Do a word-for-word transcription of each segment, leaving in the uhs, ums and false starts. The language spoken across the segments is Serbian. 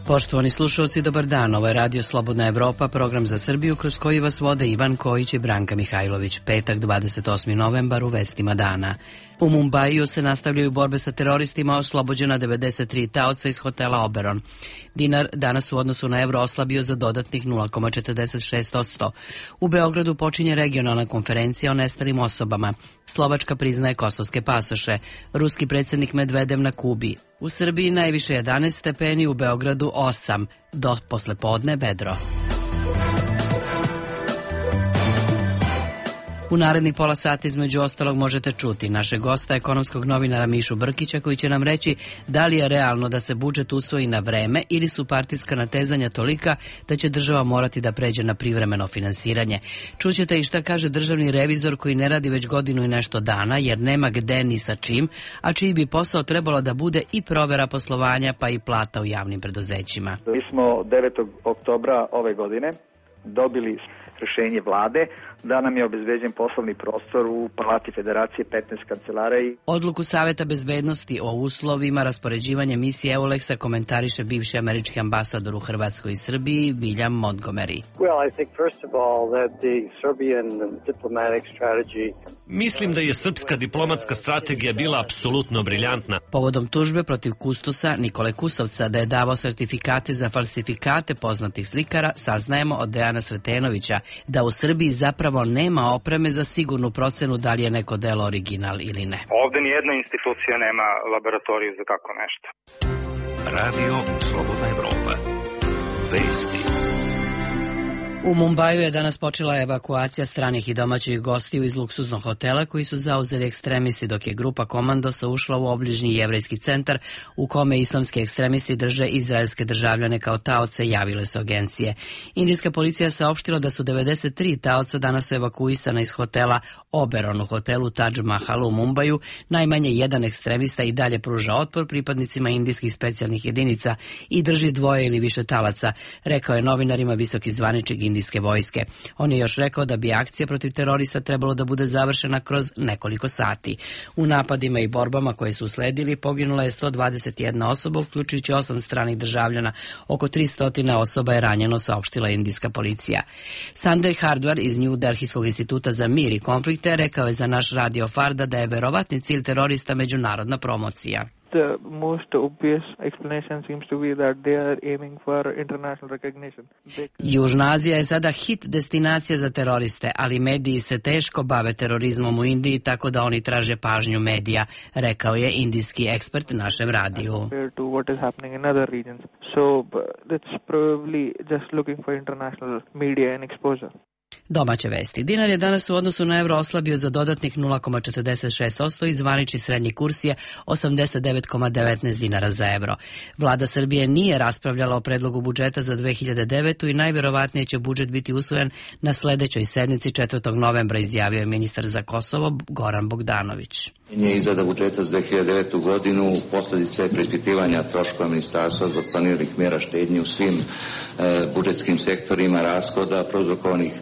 Poštovani slušalci, dobar dan. Ovo je Radio Slobodna Evropa, program za Srbiju kroz koji vas vode Ivan Kojić i Branka Mihajlović. Petak, dvadeset osmi novembar, u vestima dana. U Mumbaiju se nastavljaju borbe sa teroristima, oslobođena devedeset tri taoca iz hotela Oberon. Dinar danas u odnosu na evro oslabio za dodatnih nula zarez četrdeset šest posto. U Beogradu počinje regionalna konferencija o nestalim osobama. Slovačka priznaje kosovske pasoše. Ruski predsjednik Medvedev na Kubi. U Srbiji najviše jedanaest stepeni, u Beogradu osam. Do poslepodne vedro. U narednih pola sata između ostalog možete čuti našeg gosta, ekonomskog novinara Mišu Brkića, koji će nam reći da li je realno da se budžet usvoji na vreme ili su partijska natezanja tolika da će država morati da pređe na privremeno finansiranje. Čućete i šta kaže državni revizor koji ne radi već godinu i nešto dana jer nema gde ni sa čim, a čiji bi posao trebalo da bude i provera poslovanja pa i plata u javnim preduzećima. Mi smo devetog oktobra ove godine dobili rešenje vlade da nam je obezbeđen poslovni prostor u Palati Federacije, petnaest kancelara. I... Odluku Saveta bezbednosti o uslovima raspoređivanja misije EULEX-a komentariše bivši američki ambasador u Hrvatskoj i Srbiji, William Montgomery. Well, I think first of all that the Serbian diplomatic strategy... Mislim da je srpska diplomatska strategija bila apsolutno briljantna. Povodom tužbe protiv kustosa Nikole Kusovca da je davao sertifikate za falsifikate poznatih slikara, saznajemo od Dejana Sretenovića da u Srbiji zapravo nema opreme za sigurnu procenu da li je neko delo original ili ne. Ovde nijedna institucija nema laboratoriju za tako nešto. Radio Slobodna Evropa. Vesti. U Mumbaju je danas počela evakuacija stranih i domaćih gostiju iz luksuznog hotela koji su zauzeli ekstremisti, dok je grupa komandosa ušla u obližnji jevrejski centar u kome islamski ekstremisti drže izraelske državljane kao taoce, javile su agencije. Indijska policija saopštila da su devedeset tri taoca danas evakuisana iz hotela Oberon u hotelu Taj Mahal u Mumbaju. Najmanje jedan ekstremista i dalje pruža otpor pripadnicima indijskih specijalnih jedinica i drži dvoje ili više talaca, rekao je novinarima visoki zvaničnik indijske vojske. On je još rekao da bi akcija protiv terorista trebalo da bude završena kroz nekoliko sati. U napadima i borbama koje su usledili poginula je sto dvadeset jedna osoba, uključujući osam stranih državljana. Oko tristo osoba je ranjeno, saopštila indijska policija. Sanjay Hardwar iz New Delhijskog instituta za mir i konflikte rekao je za naš radio Farda da je verovatni cilj terorista međunarodna promocija. The most obvious explanation seems to be that they are aiming for international recognition. They... Južna Azija je sada hit destinacija za teroriste, ali mediji se teško bave terorizmom u Indiji, tako da oni traže pažnju medija, rekao je indijski ekspert našem radiju. To what is happening in other regions. So that's probably just looking for international media and exposure. Domaće vesti. Dinar je danas u odnosu na evro oslabio za dodatnih nula zarez četrdeset šest posto i zvanični srednji kurs je osamdeset devet zarez devetnaest dinara za evro. Vlada Srbije nije raspravljala o predlogu budžeta za dve hiljade devetu. i najverovatnije će budžet biti usvojen na sledećoj sednici četvrtog novembra, izjavio je ministar za Kosovo Goran Bogdanović. Izrada budžeta za dve hiljade devetu. godinu posljedica je preispitivanja troškova ministarstva zbog planiranih mjera štednje u svim e, budžetskim sektorima rashoda prouzrokovanih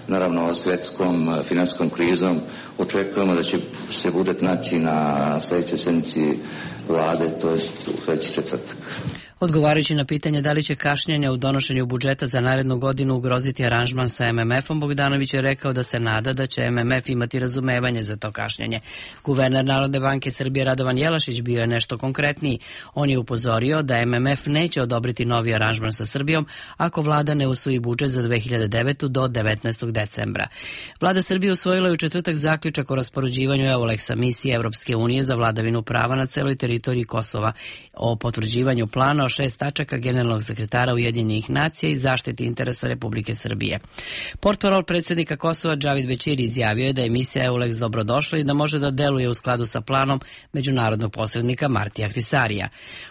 naravno svjetskom finansijskom krizom. Očekujemo da će se budžet naći na sljedećoj sednici vlade, to je u sljedeći četvrtak. Odgovarajući na pitanje da li će kašnjenje u donošenju budžeta za narednu godinu ugroziti aranžman sa em em efom, Bogdanović je rekao da se nada da će em em ef imati razumevanje za to kašnjenje. Guverner Narodne banke Srbije Radovan Jelašić bio je nešto konkretniji. On je upozorio da em em ef neće odobriti novi aranžman sa Srbijom ako vlada ne usvoji budžet za dve hiljade devetu. do devetnaestog decembra. Vlada Srbije usvojila je u četvrtak zaključak o raspoređivanju EULEX-a, misije Evropske unije za vladavinu prava na celoj teritoriji Kosova, o potvrđivanju plana o šest tačaka generalnog sekretara Ujedinjenih nacija i zaštiti interesa Republike Srbije. Portparol predsjednika Kosova Džavid Bećiri izjavio je da je misija EULEX dobrodošla i da može da deluje u skladu sa planom međunarodnog posrednika Martija Hrisarija.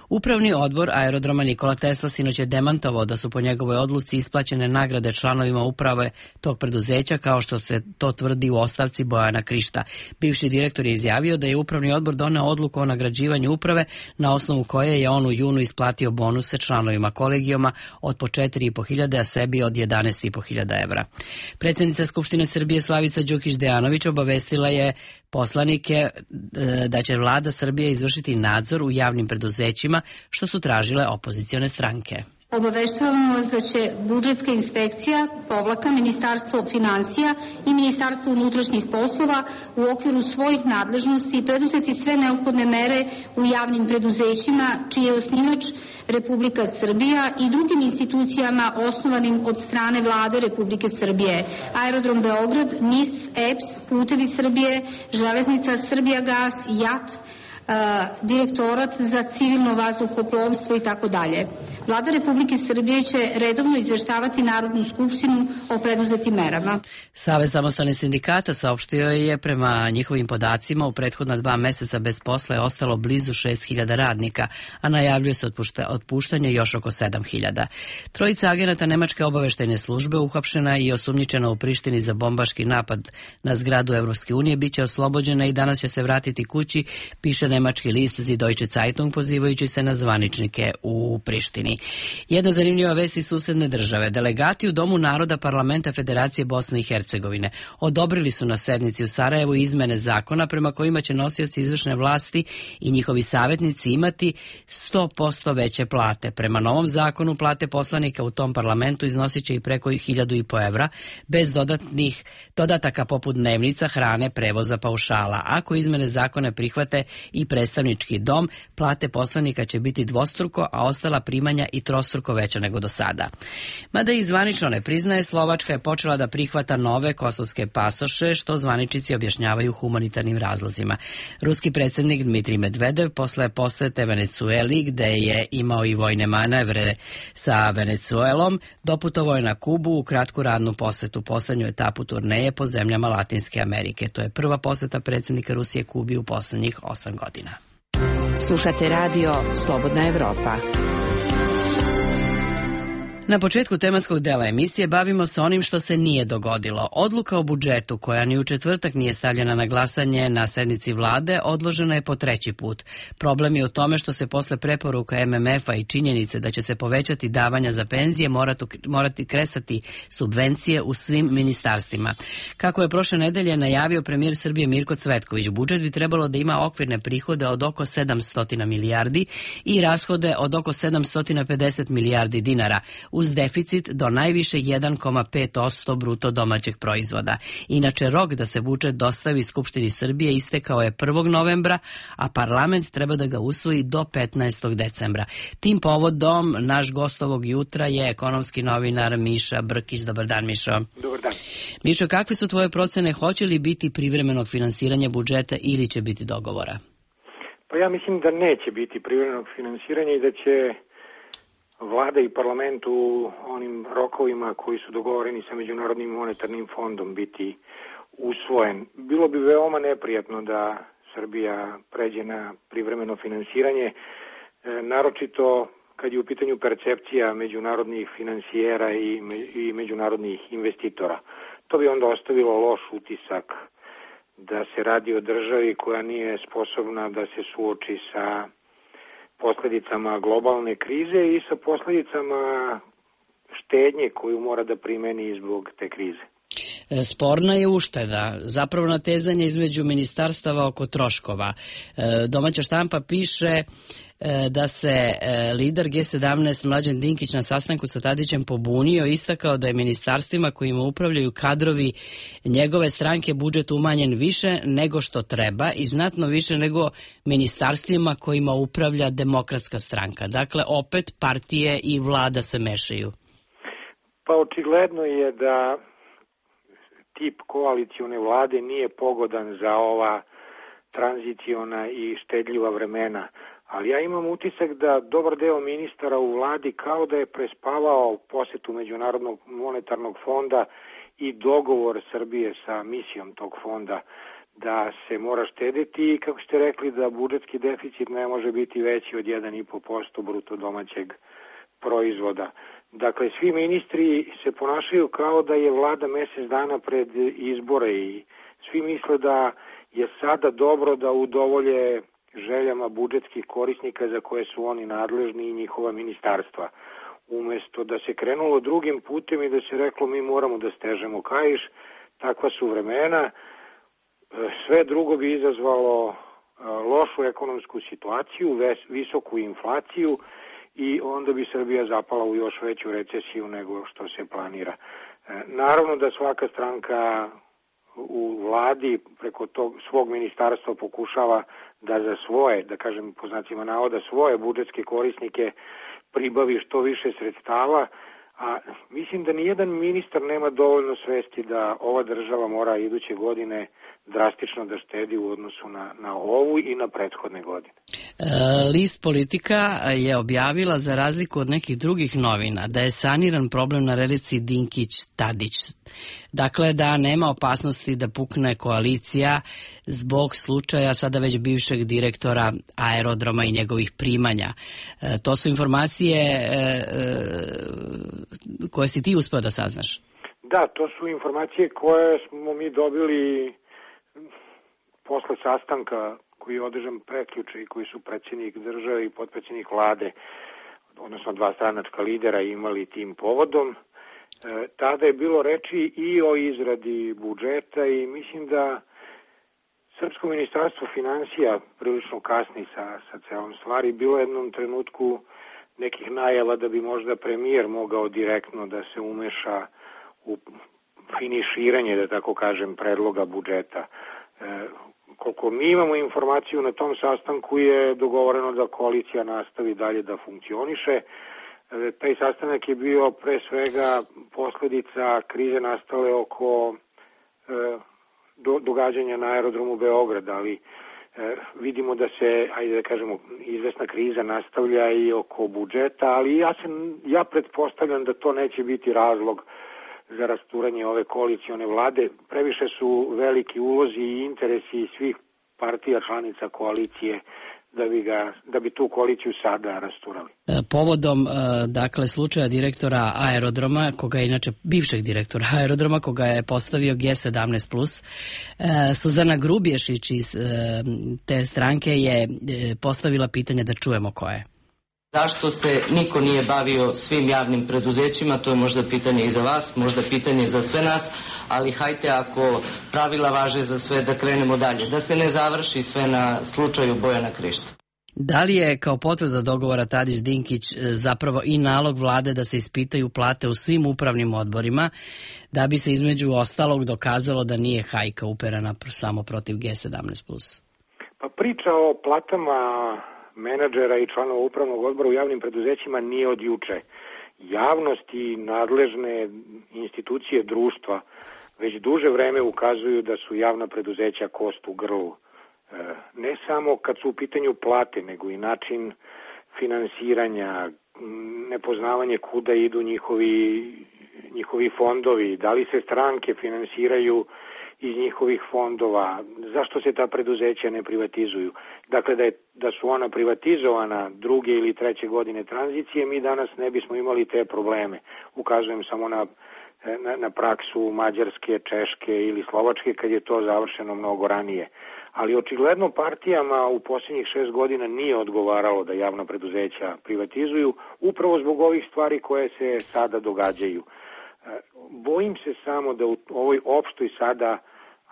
Upravni odbor aerodroma Nikola Tesla sinoć je demantovao da su po njegovoj odluci isplaćene nagrade članovima uprave tog preduzeća, kao što se to tvrdi u ostavci Bojana Krišta. Bivši direktor je izjavio da je upravni odbor doneo odluku o nagrađivanju uprave na osnovu koje je on u junu isplatio bonuse članovima kolegijuma od po četiri i po hiljade, a sebi od jedanaest i po hiljada evra. Predsjednica Skupštine Srbije Slavica Đukić Dejanović obavestila je poslanike da će vlada Srbije izvršiti nadzor u javnim preduzećima, što su tražile opozicione stranke. Obaveštavamo vas da će budžetska inspekcija, povlaka, Ministarstvo finansija i Ministarstvo unutrašnjih poslova u okviru svojih nadležnosti preduzeti sve neophodne mere u javnim preduzećima čiji je osnivač Republika Srbija i drugim institucijama osnovanim od strane Vlade Republike Srbije. Aerodrom Beograd, N I S, E P S, Putevi Srbije, Železnica, Srbijagas, J A T, Direktorat za civilno vazduhoplovstvo i tako dalje. Vlada Republike Srbije će redovno izveštavati Narodnu skupštinu o preduzetim merama. Savez samostalnih sindikata saopštio je prema njihovim podacima u prethodna dva meseca bez posla je ostalo blizu šest hiljada radnika, a najavljuje se otpuštanje još oko sedam hiljada. Trojica agenata Nemačke obaveštajne službe uhapšena i osumnjičena u Prištini za bombaški napad na zgradu Evropske unije biće oslobođena i danas će se vratiti kući, piše nemački list Die Deutsche Zeitung pozivajući se na zvaničnike u Prištini. Jedna zanimljiva vest iz susedne države. Delegati u Domu naroda Parlamenta Federacije Bosne i Hercegovine odobrili su na sednici u Sarajevu izmene zakona prema kojima će nosioci izvršne vlasti i njihovi savjetnici imati sto posto veće plate. Prema novom zakonu plate poslanika u tom parlamentu iznosit će i preko hiljadu i po evra bez dodatnih dodataka poput dnevnica, hrane, prevoza, paušala. Ako izmene zakone prihvate i predstavnički dom, plate poslanika će biti dvostruko, a ostala primanja i trostruko veća nego do sada. Mada i zvanično ne priznaje, Slovačka je počela da prihvata nove kosovske pasoše, što zvaničnici objašnjavaju humanitarnim razlozima. Ruski predsjednik Dmitrij Medvedev posle posete Venecueli, gde je imao i vojne manevre sa Venecuelom, doputovao je na Kubu u kratku radnu posetu, poslednju etapu turneje po zemljama Latinske Amerike. To je prva poseta predsjednika Rusije Kubi u poslednjih osam godina. Slušate radio Slobodna Evropa. Na početku tematskog dela emisije bavimo se onim što se nije dogodilo. Odluka o budžetu, koja ni u četvrtak nije stavljena na glasanje na sednici vlade, odložena je po treći put. Problem je u tome što se posle preporuka M M F-a i činjenice da će se povećati davanja za penzije morati, morati kresati subvencije u svim ministarstvima. Kako je prošle nedelje najavio premijer Srbije Mirko Cvetković, budžet bi trebalo da ima okvirne prihode od oko sedamsto milijardi i rashode od oko sedamsto pedeset milijardi dinara, uz deficit do najviše jedan zarez pet posto bruto domaćeg proizvoda. Inače, rok da se budžet dostavi Skupštini Srbije istekao je prvog novembra, a parlament treba da ga usvoji do petnaestog decembra. Tim povodom, naš gost ovog jutra je ekonomski novinar Miša Brkić. Dobar dan, Mišo. Dobar dan. Mišo, kakve su tvoje procene? Hoće li biti privremenog finansiranja budžeta ili će biti dogovora? Pa ja mislim da neće biti privremenog finansiranja i da će Vlada i parlament u onim rokovima koji su dogovoreni sa Međunarodnim monetarnim fondom biti usvojen. Bilo bi veoma neprijatno da Srbija pređe na privremeno finansiranje, e, naročito kad je u pitanju percepcija međunarodnih finansijera i, me, i međunarodnih investitora. To bi onda ostavilo loš utisak da se radi o državi koja nije sposobna da se suoči sa posljedicama globalne krize i sa posljedicama štednje koju mora da primeni zbog te krize. Sporna je ušteda, zapravo natezanje između ministarstava oko troškova. Domaća štampa piše da se lider G sedamnaest Mlađan Dinkić na sastanku sa Tadićem pobunio, istakao da je ministarstvima kojima upravljaju kadrovi njegove stranke budžet umanjen više nego što treba i znatno više nego ministarstvima kojima upravlja Demokratska stranka. Dakle, opet partije i vlada se mešaju. Pa očigledno je da tip koalicione vlade nije pogodan za ova tranziciona i štedljiva vremena. Ali ja imam utisak da dobar deo ministara u vladi kao da je prespavao posetu Međunarodnog monetarnog fonda i dogovor Srbije sa misijom tog fonda da se mora štediti i kako ste rekli da budžetski deficit ne može biti veći od jedan zarez pet posto bruto domaćeg proizvoda. Dakle, svi ministri se ponašaju kao da je vlada mjesec dana pred izbore i svi misle da je sada dobro da udovolje željama budžetskih korisnika za koje su oni nadležni i njihova ministarstva. Umjesto da se krenulo drugim putem i da se reklo mi moramo da stežemo kaiš, takva su vremena, sve drugo bi izazvalo lošu ekonomsku situaciju, visoku inflaciju i onda bi Srbija zapala u još veću recesiju nego što se planira. Naravno da svaka stranka u vladi preko tog svog ministarstva pokušava da za svoje, da kažem po znacima navoda, svoje budžetske korisnike pribavi što više sredstava, a mislim da nijedan ministar nema dovoljno svesti da ova država mora iduće godine drastično da štedi u odnosu na, na ovu i na prethodne godine. List Politika je objavila, za razliku od nekih drugih novina, da je saniran problem na relici Dinkić-Tadić. Dakle, da nema opasnosti da pukne koalicija zbog slučaja sada već bivšeg direktora aerodroma i njegovih primanja. E, to su informacije e, e, koje si ti uspeo da saznaš? Da, to su informacije koje smo mi dobili posle sastanka koji je održan prekjuče i koji su predsjednik države i potpredsjednik vlade, odnosno dva stranačka lidera, imali tim povodom. E, tada je bilo reči i o izradi budžeta i mislim da Srpsko ministarstvo finansija prilično kasni sa, sa celom stvari. Bilo je jednom trenutku nekih najava da bi možda premijer mogao direktno da se umeša u finiširanje, da tako kažem, predloga budžeta. E, koliko mi imamo informaciju na tom sastanku je dogovoreno da koalicija nastavi dalje da funkcioniše. E, taj sastanak je bio pre svega posledica krize nastale oko e, do, događanja na aerodromu Beograd, ali e, vidimo da se, ajde da kažemo, izvesna kriza nastavlja i oko budžeta, ali ja, sam, ja pretpostavljam da to neće biti razlog za rasturanje ove koalicione vlade. Previše su veliki ulozi i interesi svih partija članica koalicije da bi, ga, da bi tu koaliciju sada rasturali. Povodom, dakle, slučaja direktora aerodroma, koga je inače bivšeg direktora aerodroma, koga je postavio G sedamnaest plus, Suzana Grubješić iz te stranke je postavila pitanje, da čujemo koje. Zašto se niko nije bavio svim javnim preduzećima, to je možda pitanje i za vas, možda pitanje za sve nas, ali hajte, ako pravila važe za sve, da krenemo dalje, da se ne završi sve na slučaju Bojana Krišta. Da li je kao potvrda dogovora Tadić-Dinkić zapravo i nalog vlade da se ispitaju plate u svim upravnim odborima, da bi se između ostalog dokazalo da nije hajka uperena samo protiv G sedamnaest plus? Pa priča o platama menadžera i članova upravnog odbora u javnim preduzećima nije od juče. Javnost i nadležne institucije društva već duže vreme ukazuju da su javna preduzeća kost u grlu. Ne samo kad su u pitanju plate, nego i način finansiranja, nepoznavanje kuda idu njihovi, njihovi fondovi, da li se stranke finansiraju iz njihovih fondova, zašto se ta preduzeća ne privatizuju. Dakle, da, je, da su ona privatizovana druge ili treće godine tranzicije, mi danas ne bismo imali te probleme. Ukazujem samo na, na, na praksu Mađarske, Češke ili Slovačke, kad je to završeno mnogo ranije. Ali očigledno partijama u posljednjih šest godina nije odgovaralo da javna preduzeća privatizuju, upravo zbog ovih stvari koje se sada događaju. Bojim se samo da u ovoj opštoj sada,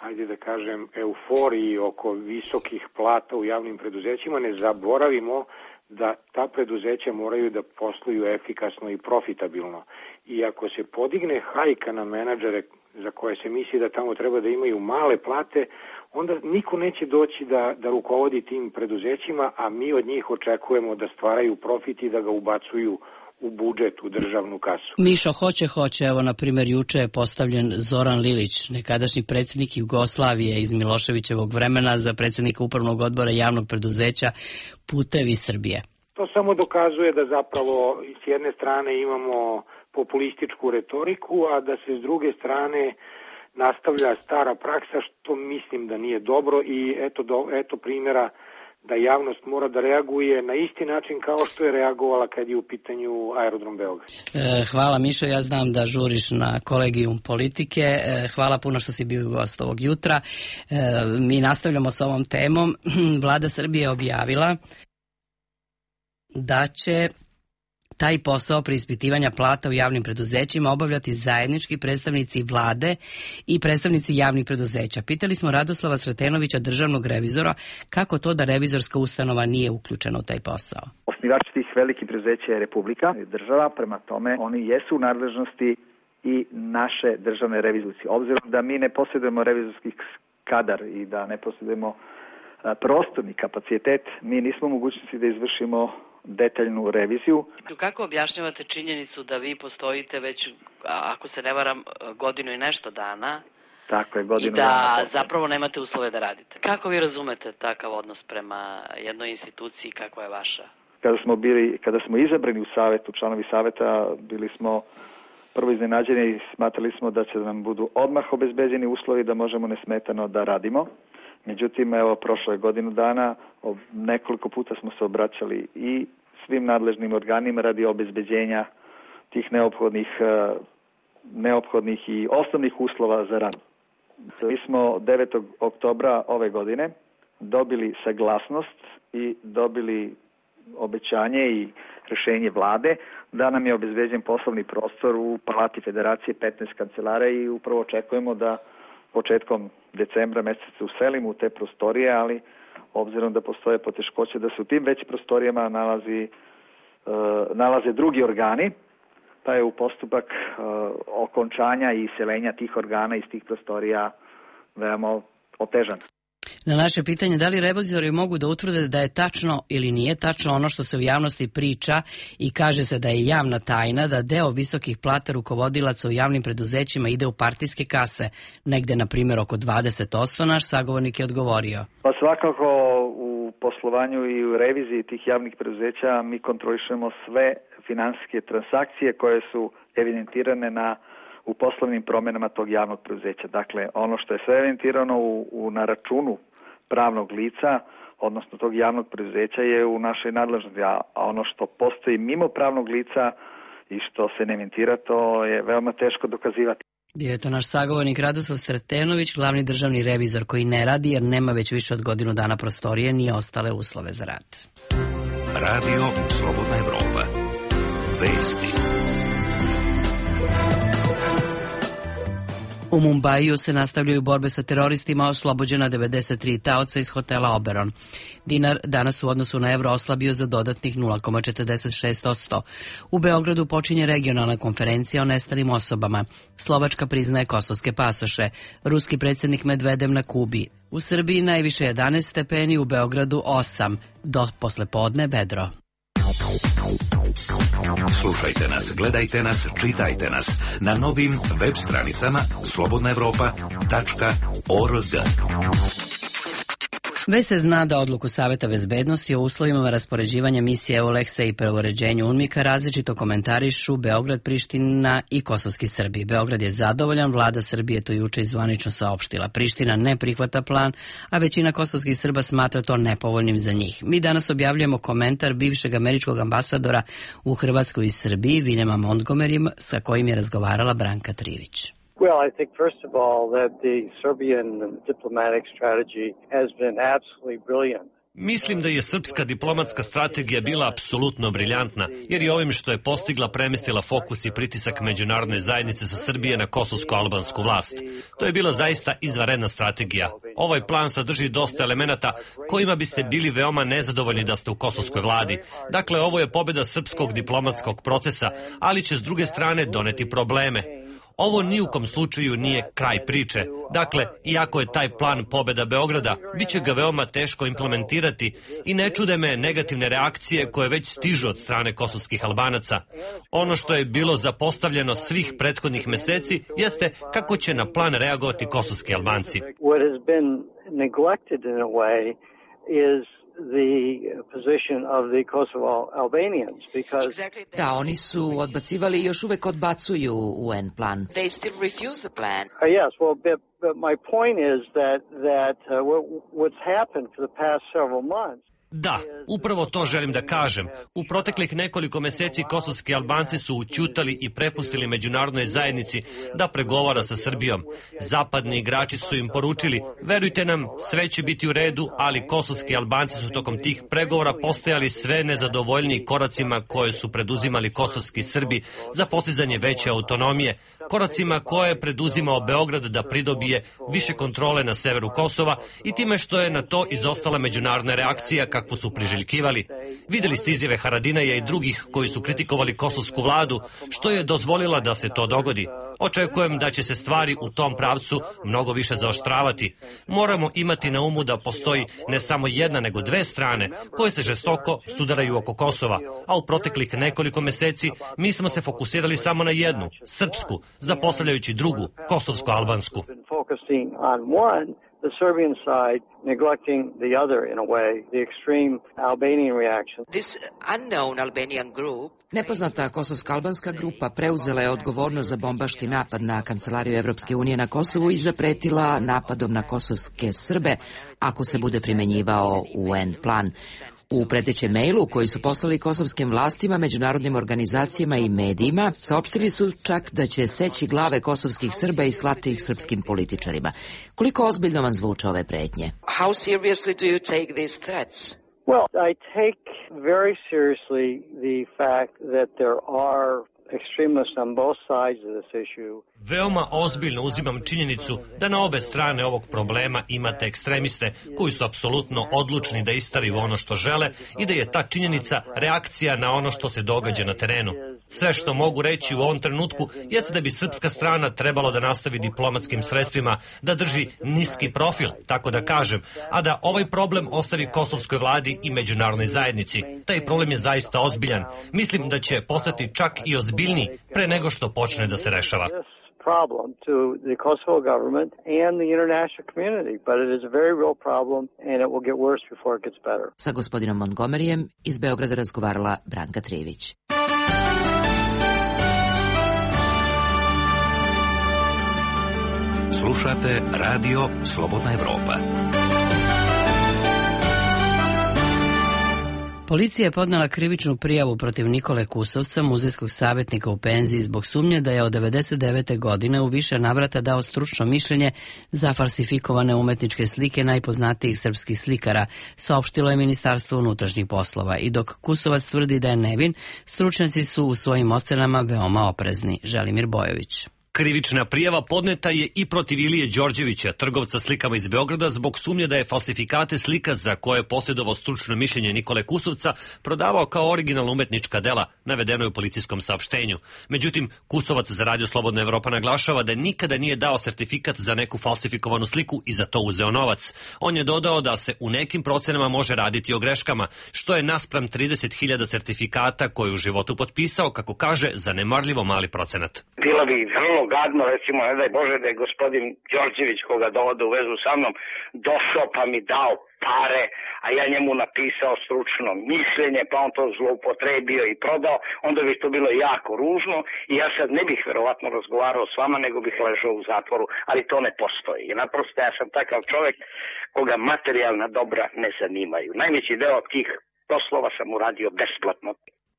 ajde da kažem, euforiji oko visokih plata u javnim preduzećima ne zaboravimo da ta preduzeća moraju da posluju efikasno i profitabilno. I ako se podigne hajka na menadžere za koje se misli da tamo treba da imaju male plate, onda niko neće doći da, da rukovodi tim preduzećima, a mi od njih očekujemo da stvaraju profit i da ga ubacuju u budžet, u državnu kasu. Mišo, hoće, hoće. Evo, na primjer, juče je postavljen Zoran Lilić, nekadašnji predsjednik Jugoslavije iz Miloševićevog vremena, za predsjednika upravnog odbora javnog preduzeća Putevi Srbije. To samo dokazuje da zapravo s jedne strane imamo populističku retoriku, a da se s druge strane nastavlja stara praksa, što mislim da nije dobro i eto, do, eto primjera da javnost mora da reaguje na isti način kao što je reagovala kad je u pitanju aerodrom Beograd. Hvala Mišo, ja znam da žuriš na kolegijum politike. Hvala puno što si bio gost ovog jutra. Mi nastavljamo s ovom temom. Vlada Srbije je objavila da će taj posao preispitivanja plata u javnim preduzećima obavljati zajednički predstavnici vlade i predstavnici javnih preduzeća. Pitali smo Radoslava Sretenovića, državnog revizora, kako to da revizorska ustanova nije uključena u taj posao. Osnivač tih velikih preduzeća je Republika, država, prema tome oni jesu u nadležnosti i naše državne revizorske. Obzirom da mi ne posjedujemo revizorski kadar i da ne posjedujemo prostorni kapacitet, mi nismo u mogućnosti da izvršimo detaljnu reviziju. Kako objašnjavate činjenicu da vi postojite već, ako se ne varam, godinu i nešto dana? Tako je, godinu i da dana zapravo nemate uslove da radite? Kako vi razumete takav odnos prema jednoj instituciji, kakva je vaša? Kada smo bili, kada smo izabrani u savetu, članovi saveta, bili smo prvo iznenađeni i smatrali smo da će nam budu odmah obezbeđeni uslovi da možemo nesmetano da radimo. Međutim, evo, prošlo je godinu dana, nekoliko puta smo se obraćali i svim nadležnim organima radi obezbeđenja tih neophodnih, neophodnih i osnovnih uslova za rad. Mi smo devetog oktobra ove godine dobili saglasnost i dobili obećanje i rješenje vlade da nam je obezbeđen poslovni prostor u Palati Federacije petnaest kancelara i upravo očekujemo da početkom decembra meseca uselimo u te prostorije, ali obzirom da postoje poteškoće da se u tim većim prostorijama nalazi, uh, nalaze drugi organi, pa je u postupak uh, okončanja i iseljenja tih organa iz tih prostorija veoma otežan. Na naše pitanje da li revizori mogu da utvrde da je tačno ili nije tačno ono što se u javnosti priča i kaže se da je javna tajna da deo visokih plata rukovodilaca u javnim preduzećima ide u partijske kase, negde na primjer oko dvadeset posto, naš sagovornik je odgovorio. Pa svakako u poslovanju i u reviziji tih javnih preduzeća mi kontrolišemo sve finansijske transakcije koje su evidentirane na u poslovnim promjenama tog javnog preduzeća. Dakle, ono što je sve evidentirano u, u, na računu pravnog lica, odnosno tog javnog preduzeća, je u našoj nadležnosti, a ono što postoji mimo pravnog lica i što se ne evidentira, to je veoma teško dokazivati. Bio je to naš sagovornik Radoslav Sretenović, glavni državni revizor koji ne radi jer nema već više od godinu dana prostorije ni ostale uslove za rad. Radio Slobodna Evropa. Vesti. U Mumbaiju se nastavljaju borbe sa teroristima, oslobođena devedeset tri taoca iz hotela Oberon. Dinar danas u odnosu na evro oslabio za dodatnih nula zarez četrdeset šest posto. U Beogradu počinje regionalna konferencija o nestalim osobama. Slovačka priznaje kosovske pasoše. Ruski predsjednik Medvedev na Kubi. U Srbiji najviše jedanaest stepeni, u Beogradu osam. Do poslepodne vedro. Slušajte nas, gledajte nas, čitajte nas na novim web stranicama slobodna evropa tačka org. Već se zna da odluku Saveta bezbednosti o uslovima raspoređivanja misije EULEX-a i preuređenju UNMIK-a različito komentarišu Beograd, Priština i kosovski Srbi. Beograd je zadovoljan, vlada Srbije to juče zvanično saopštila. Priština ne prihvata plan, a većina kosovskih Srba smatra to nepovoljnim za njih. Mi danas objavljujemo komentar bivšeg američkog ambasadora u Hrvatskoj i Srbiji, Viljama Montgomeryja, sa kojim je razgovarala Branka Trivić. Well, I think, first of all, that the Serbian diplomatic strategy has been absolutely brilliant. Mislim da je srpska diplomatska strategija bila apsolutno briljantna, jer je ovim što je postigla premestila fokus i pritisak međunarodne zajednice sa Srbije na kosovsko-albansku vlast. To je bila zaista izvanredna strategija. Ovaj plan sadrži dosta elemenata kojima biste bili veoma nezadovoljni da ste u kosovskoj vladi. Dakle, ovo je pobjeda srpskog diplomatskog procesa, ali će s druge strane doneti probleme. Ovo ni u kom slučaju nije kraj priče. Dakle, iako je taj plan pobjeda Beograda, bit će ga veoma teško implementirati i ne čude me negativne reakcije koje već stižu od strane kosovskih Albanaca. Ono što je bilo zapostavljeno svih prethodnih meseci jeste kako će na plan reagovati kosovski Albanci. What has been neglected in a way is the position of the Kosovo Albanians because Da, oni su odbacivali i još uvek odbacuju U N plan. They still refuse the plan. Uh, yes, well, but, but my point is that that uh, what, what's happened for the past several months. Da, upravo to želim da kažem. U proteklih nekoliko meseci kosovski Albanci su ućutali i prepustili međunarodnoj zajednici da pregovara sa Srbijom. Zapadni igrači su im poručili, verujte nam, sve će biti u redu, ali kosovski Albanci su tokom tih pregovora postajali sve nezadovoljniji koracima koje su preduzimali kosovski Srbi za postizanje veće autonomije, koracima koje je preduzimao Beograd da pridobije više kontrole na severu Kosova i time što je na to izostala međunarodna reakcija kakvu su priželjkivali. Vidjeli ste izjave Haradinaja i drugih koji su kritikovali kosovsku vladu, što je dozvolila da se to dogodi. Očekujem da će se stvari u tom pravcu mnogo više zaoštravati. Moramo imati na umu da postoji ne samo jedna nego dve strane koje se žestoko sudaraju oko Kosova, a u proteklih nekoliko meseci mi smo se fokusirali samo na jednu, srpsku, zapostavljajući drugu, kosovsko-albansku. The Serbian side neglecting the other in a way, the extreme Albanian reaction. This unknown Albanian group Nepoznata kosovsko-albanska grupa preuzela je odgovornost za bombaški napad na Kancelariju Evropske unije na Kosovu i zapretila napadom na kosovske Srbe ako se bude primenjivao U N plan. U pretećem mailu koji su poslali kosovskim vlastima, međunarodnim organizacijama i medijima, saopštili su čak da će seći glave kosovskih Srba i slati ih srpskim političarima. Koliko ozbiljno vam zvuče ove pretnje? How seriously do you take these threats? Well, I take very seriously the fact that there are extremists on both sides of this issue. Veoma ozbiljno uzimam činjenicu da na obe strane ovog problema imate ekstremiste koji su apsolutno odlučni da istaraju ono što žele i da je ta činjenica reakcija na ono što se događa na terenu. Sve što mogu reći u ovom trenutku jeste da bi srpska strana trebalo da nastavi diplomatskim sredstvima, da drži niski profil, tako da kažem, a da ovaj problem ostavi kosovskoj vladi i međunarodnoj zajednici. Taj problem je zaista ozbiljan. Mislim da će postati čak i ozbiljniji pre nego što počne da se rešava. Problem to the Kosovo government and the international community, but it is a very real problem and it will get worse before it gets better. Sa gospodinom Montgomeryjem iz Beograda razgovarala Branka Trivić. Slušate Radio Slobodna Evropa. Policija je podnela krivičnu prijavu protiv Nikole Kusovca, muzejskog savjetnika u penziji, zbog sumnje da je od devedeset devete godine u više navrata dao stručno mišljenje za falsifikovane umetničke slike najpoznatijih srpskih slikara, saopštilo je Ministarstvo unutrašnjih poslova. I dok Kusovac tvrdi da je nevin, stručnjaci su u svojim ocenama veoma oprezni. Želimir Bojović. Krivična prijava podneta je i protiv Ilije Đorđevića, trgovca slikama iz Beograda, zbog sumnje da je falsifikate slika za koje je posjedovao stručno mišljenje Nikole Kusovca prodavao kao originalna umetnička dela, navedeno je u policijskom saopštenju. Međutim, Kusovac za Radio Slobodna Evropa naglašava da nikada nije dao sertifikat za neku falsifikovanu sliku i za to uzeo novac. On je dodao da se u nekim procenama može raditi o greškama, što je naspram trideset hiljada sertifikata koje u životu potpisao, kako kaže, zanemarljivo mali procenat. Bila bi vrlo gadno, recimo, ne daj Bože da je gospodin Đorđević, koga dovode u vezu sa mnom, došao pa mi dao pare, a ja njemu napisao stručno mišljenje, pa on to zloupotrebio i prodao, onda bi to bilo jako ružno i ja sad ne bih verovatno razgovarao s vama, nego bih ležao u zatvoru, ali to ne postoji. I naprosto ja sam takav čovjek koga materijalna dobra ne zanimaju. Najveći deo tih poslova sam uradio besplatno.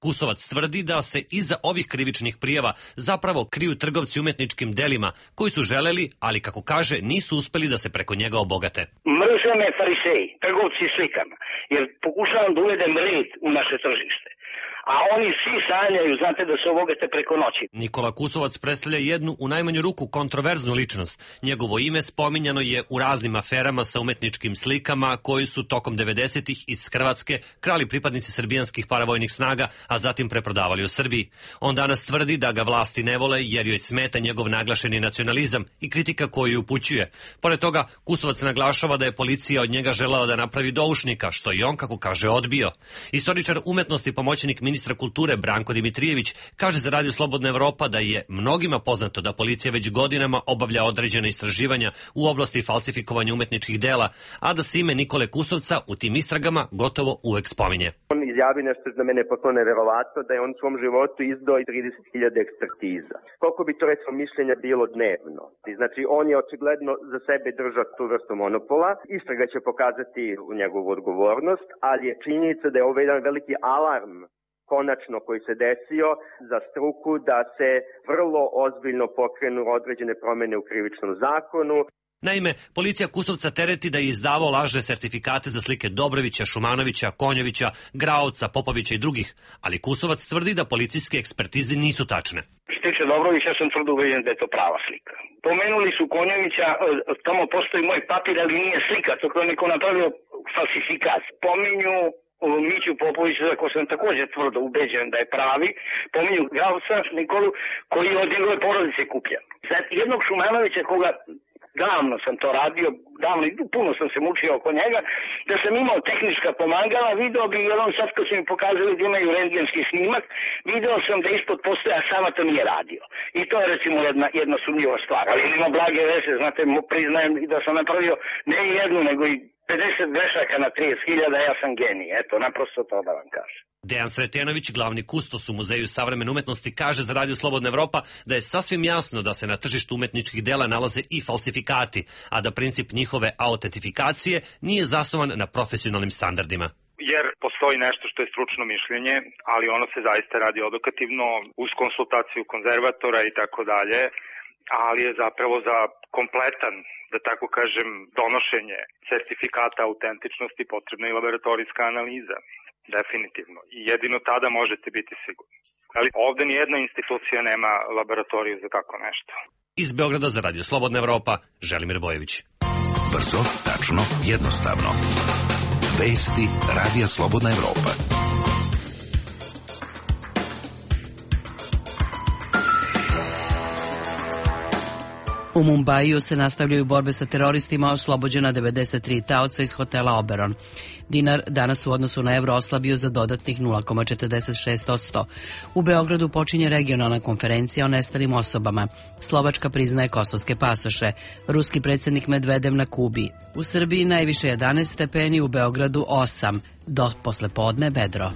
Kusovac tvrdi da se iza ovih krivičnih prijava zapravo kriju trgovci umetničkim delima koji su želeli, ali kako kaže, nisu uspeli da se preko njega obogate. Mrze me fariseji, trgovci slikama, jer pokušavam da uvedem red u naše tržište. A oni svi sanjaju, znate, da se obogate preko noći. Nikola Kusovac predstavlja jednu u najmanju ruku kontroverznu ličnost. Njegovo ime spominjano je u raznim aferama sa umetničkim slikama koji su tokom devedesetih iz Hrvatske krali pripadnici srbijanskih paravojnih snaga, a zatim preprodavali u Srbiji. On danas tvrdi da ga vlasti ne vole jer joj smeta njegov naglašeni nacionalizam i kritika koju upućuje. Pored toga, Kusovac naglašava da je policija od njega želala da napravi doušnika, što i on, kako kaže, odbio. Istoričar umetnosti, pomoćnik ministra kulture Branko Dimitrijević kaže za Radio Slobodna Evropa da je mnogima poznato da policija već godinama obavlja određene istraživanja u oblasti falsifikovanja umetničkih dela, a da se ime Nikole Kusovca u tim istragama gotovo uvek spominje. On izjavi nešto za mene potpuno neverovatno, da je on u svom životu izdao i trideset hiljada ekspertiza. Koliko bi to recimo mišljenja bilo dnevno? Znači on je očigledno za sebe držao tu vrstu monopola. Istraga će pokazati u njegovu odgovornost, ali je činjenica da je ovo jedan veliki alarm konačno koji se desio za struku da se vrlo ozbiljno pokrenu određene promjene u krivičnom zakonu. Naime, policija Kusovca tereti da je izdavao lažne sertifikate za slike Dobrovića, Šumanovića, Konjovića, Graovca, Popovića i drugih, ali Kusovac tvrdi da policijske ekspertize nisu tačne. Što se tiče Dobrovića, ja sam tvrdo ubeđen da je to prava slika. Pomenuli su Konjovića, tamo postoji moj papir, ali nije slika, to je neko napravio falsifikat. Pominju Miću Popoviću, za ko sam također tvrdo ubeđen da je pravi, pominju Gausa Nikolu, koji je od njegove porodice kupljen. Sad, jednog Šumanovića koga davno sam to radio, davno i puno sam se mučio oko njega, da sam imao tehnička pomagala, video bi, jer on sad kad su mi pokazali da imaju rentgenski snimak, video sam da ispod postoja sama to nije radio. I to je recimo jedna, jedna sumnjiva stvar. Ali ima blage veze, znate, priznajem i da sam napravio ne jednu, nego i pedeset grešaka na trideset hiljada, ja sam genij. Eto, naprosto to da vam kažem. Dejan Sretenović, glavni kustos u Muzeju savremene umetnosti, kaže za Radio Slobodna Evropa da je sasvim jasno da se na tržištu umetničkih dela nalaze i falsifikati, a da princip njihove autentifikacije nije zasnovan na profesionalnim standardima. Jer postoji nešto što je stručno mišljenje, ali ono se zaista radi odokativno uz konsultaciju konzervatora i tako dalje, ali je zapravo za kompletan, da tako kažem, donošenje certifikata autentičnosti potrebna i laboratorijska analiza. Definitivno. I jedino tada možete biti sigurni. Ali ovde nijedna institucija nema laboratoriju za tako nešto. Iz Beograda za Radio Slobodna Evropa, Želimir Bojević. Brzo, tačno, jednostavno. Vesti Radija Slobodna Evropa. U Mumbaiju se nastavljaju borbe sa teroristima, oslobođena devedeset tri taoca iz hotela Oberon. Dinar danas u odnosu na evro oslabio za dodatnih nula zarez četrdeset šest posto. U Beogradu počinje regionalna konferencija o nestalim osobama. Slovačka priznaje kosovske pasoše. Ruski predsjednik Medvedev na Kubi. U Srbiji najviše jedanaest stepeni, u Beogradu osam. Do poslepodne vedro.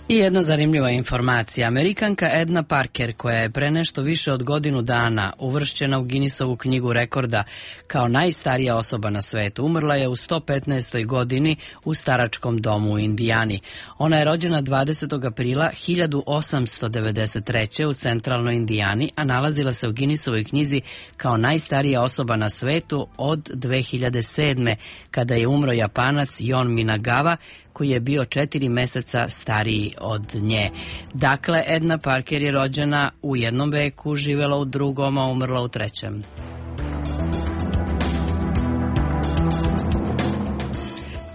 I jedna zanimljiva informacija. Amerikanka Edna Parker, koja je pre nešto više od godinu dana uvršćena u Guinnessovu knjigu rekorda kao najstarija osoba na svetu, umrla je u sto petnaestoj godini u staračkom domu u Indijani. Ona je rođena dvadesetog aprila hiljadu osamsto devedeset treće. u centralnoj Indijani, a nalazila se u Guinnessovoj knjizi kao najstarija osoba na svetu od dve hiljade sedme. kada je umro Japanac Jon Minagawa, koji je bio četiri meseca stariji od nje. Dakle, Edna Parker je rođena u jednom veku, živela u drugom, a umrla u trećem.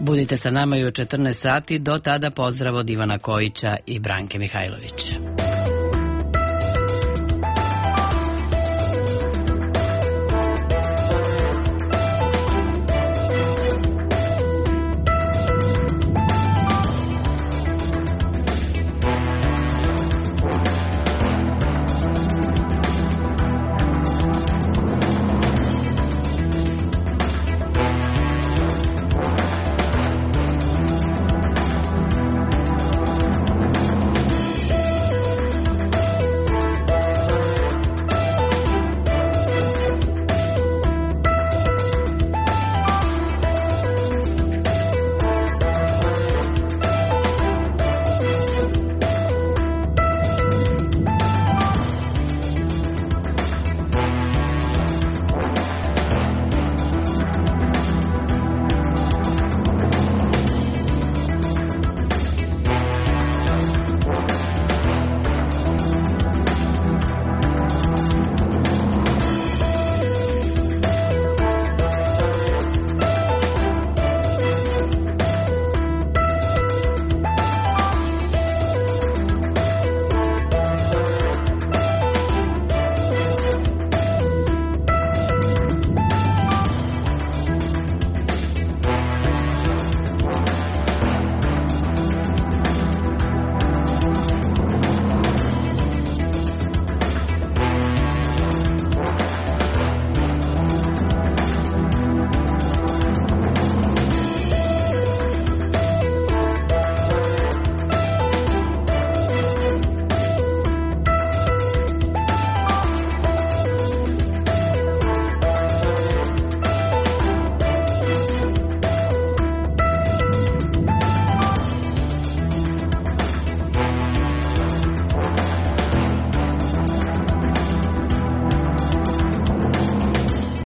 Budite sa nama i u četrnaest sati, do tada pozdrav od Ivana Kojića i Branke Mihajlović.